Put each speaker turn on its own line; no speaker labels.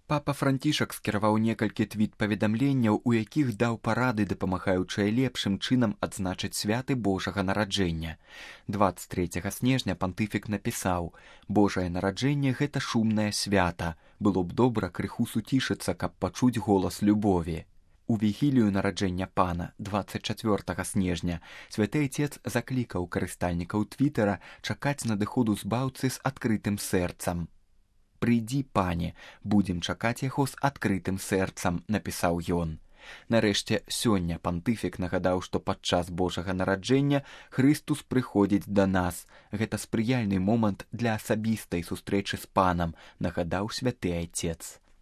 Папа Францішак скіраваў некалькі твіт-паведамленняў, у якіх даў парады, дапамагаючыя лепшым чынам адзначыць святы Божага нараджэння. 23 снежня пантыфік напісаў: «Божае нараджэнне – гэта шумнае свята. Было б добра крыху суцішыцца, каб пачуць голас любові». У вігілію нараджэння Пана 24 снежня святы Айцец заклікаў карыстальнікаў Твіттера чакаць надыходу збаўцы з адкрытым сэрцам. «Прыйдзі, пане, будзем чакаць яго з адкрытым сэрцам», напісаў ён. Нарэшце, сёння пантыфік нагадаў, што падчас Божага нараджэння Хрыстус прыходзіць да нас. Гэта спрыяльны момант для асабістай сустрэчы з Панам, нагадаў святы Айцец.